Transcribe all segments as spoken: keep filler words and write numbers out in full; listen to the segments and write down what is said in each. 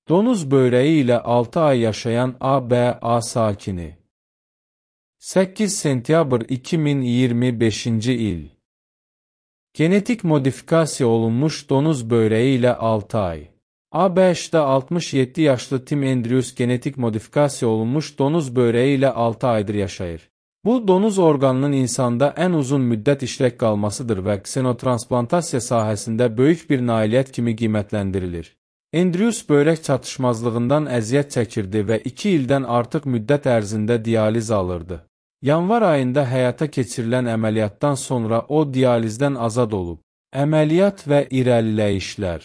Donuz böreği ilə altı ay yaşayan A B A sakini. səkkiz sentyabr iki min iyirmi beşinci il. Genetik modifikasiya olunmuş donuz böreği ilə altı ay. A B Ş'da altmış yeddi yaşlı Tim Andrews genetik modifikasiya olunmuş donuz böreği ilə altı aydır yaşayır. Bu, donuz orqanının insanda ən uzun müddət işlək qalmasıdır və ksenotransplantasya sahəsində böyük bir nailiyyət kimi qiymətləndirilir. Andrews börək çatışmazlığından əziyyət çəkirdi və iki ildən artıq müddət ərzində dializ alırdı. Yanvar ayında həyata keçirilən əməliyyatdan sonra o dializdən azad olub. Əməliyyat və irəliləyişlər.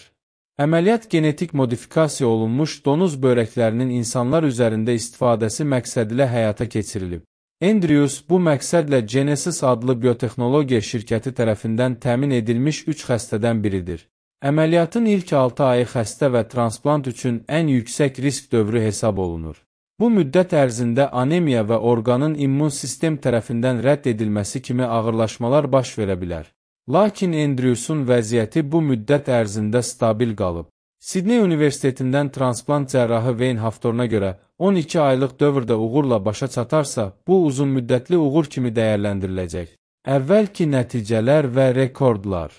Əməliyyat genetik modifikasiya olunmuş donuz börəklərinin insanlar üzərində istifadəsi məqsədilə həyata keçirilib. Andrews bu məqsədlə Genesis adlı biotexnologiya şirkəti tərəfindən təmin edilmiş üç xəstədən biridir. Əməliyyatın ilk altı ayı xəstə və transplant üçün ən yüksək risk dövrü hesab olunur. Bu müddət ərzində anemiya və orqanın immun sistem tərəfindən rədd edilməsi kimi ağırlaşmalar baş verə bilər. Lakin Andrewsun vəziyyəti bu müddət ərzində stabil qalıb. Sidney Universitetindən transplant cərrahı Wayne Haftorna görə on iki aylıq dövrdə uğurla başa çatarsa, bu uzun müddətli uğur kimi dəyərləndiriləcək. Əvvəlki nəticələr və rekordlar.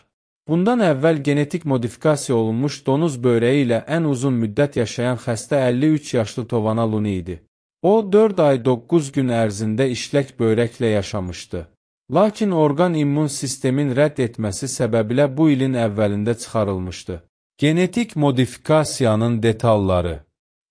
Bundan əvvəl genetik modifikasiya olunmuş donuz böreği ilə ən uzun müddət yaşayan xəstə əlli üç yaşlı Tovana Luni idi. O, dörd ay doqquz gün ərzində işlək börəklə yaşamışdı. Lakin orqan immun sistemin rədd etməsi səbəbilə bu ilin əvvəlində çıxarılmışdı. Genetik modifikasiyanın detalları.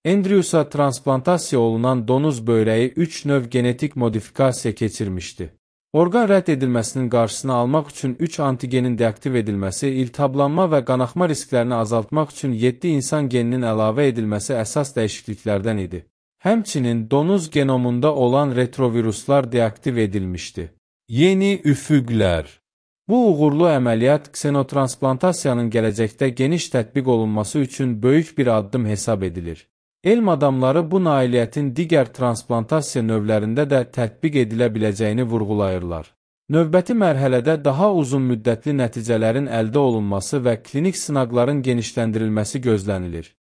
Andrewsa transplantasiya olunan donuz böreği üç növ genetik modifikasiya keçirmişdi. Orqan rədd edilməsinin qarşısını almaq üçün üç antigenin deaktiv edilməsi, iltihablanma və qanaxma risklərini azaltmaq üçün yeddi insan geninin əlavə edilməsi əsas dəyişikliklərdən idi. Həmçinin donuz genomunda olan retroviruslar deaktiv edilmişdi. Yeni üfüqlər. Bu uğurlu əməliyyat ksenotransplantasyanın gələcəkdə geniş tətbiq olunması üçün böyük bir addım hesab edilir. Elm adamları bu nailiyyətin digər transplantasiya növlərində də tətbiq edilə biləcəyini vurğulayırlar. Növbəti mərhələdə daha uzun müddətli nəticələrin əldə olunması və klinik sınaqların genişləndirilməsi gözlənilir.